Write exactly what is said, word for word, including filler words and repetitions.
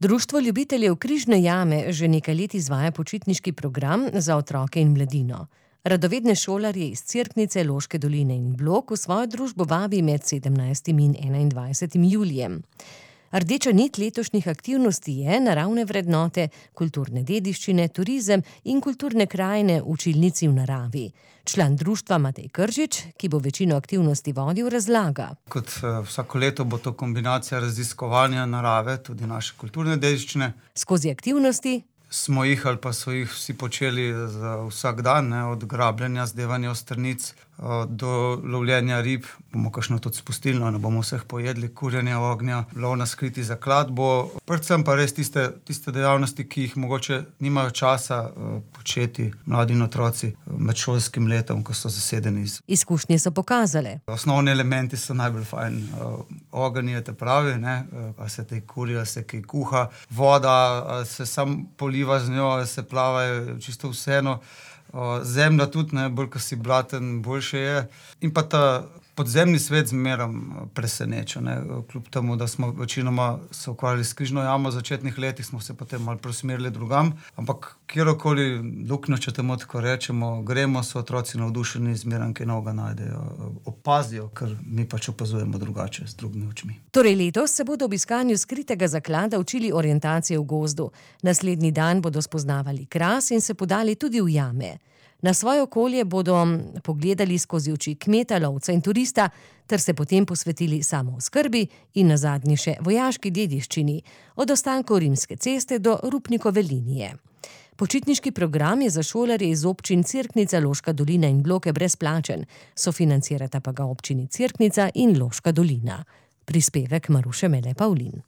Društvo ljubiteljev Križne jame že nekaj let izvaja počitniški program za otroke in mladino. Radovedne šolarje iz Cerknice, Loške doline in Blok v svojo družbo vabi med sedemnajstim in enaindvajsetim julijem. Rdeča nit letošnjih aktivnosti je naravne vrednote, kulturne dediščine, turizem in kulturne krajine v učilnici v naravi. Član društva Matej Kržič, ki bo večino aktivnosti vodil, razlaga. Kot vsako leto bo to kombinacija raziskovanja narave, tudi naše kulturne dediščine. Skozi aktivnosti smo jih ali pa so jih vsi počeli za vsak dan, ne, od grabljanja, zdevanja ostrnic do lovljenja rib. Bomo kakšno tudi spustili, no, ne bomo vseh pojedli, kurjenja ognja, lov na skriti zakladbo. Predvsem pa res tiste, tiste dejavnosti, ki jih mogoče nimajo časa uh, početi mladi in otroci med šolskim letom, ko so zasedeni. Izkušnje so pokazale. Osnovni elementi so najbolj fajn. Uh, ogenj je te pravi, ne, uh, se te kuri, se kaj kuha, voda, uh, se sam poliva z njo, se plava, čisto vseeno. Zemlja tudi, ne, bolj, ko si blaten, boljše je. In pa ta podzemni svet zmeram preseneča, ne. Kljub temu, da smo večinoma se ukvarjali s Križno jamo v začetnih letih, smo se potem malo preusmerili drugam. Ampak kjerokoli luknjo, če temu tako rečemo, gremo, so otroci navdušeni, zmeram kaj novega najdejo, opazijo, ker mi pač opazujemo drugače, z drugimi očmi. Torej letos se bodo ob iskanju skritega zaklada učili orientacije v gozdu. Naslednji dan bodo spoznavali kras in se podali tudi v jame. Na svoje okolje bodo pogledali skozi oči kmeta, lovca in turista, ter se potem posvetili samooskrbi in nazadnje še vojaški dediščini, od ostankov Rimske ceste do Rupnikove linije. Počitniški program je za šolarje iz občin Cerknica, Loška dolina in Bloke brezplačen, sofinancirata pa ga občini Cerknica in Loška dolina. Prispevek Maruše Mele Pavlin.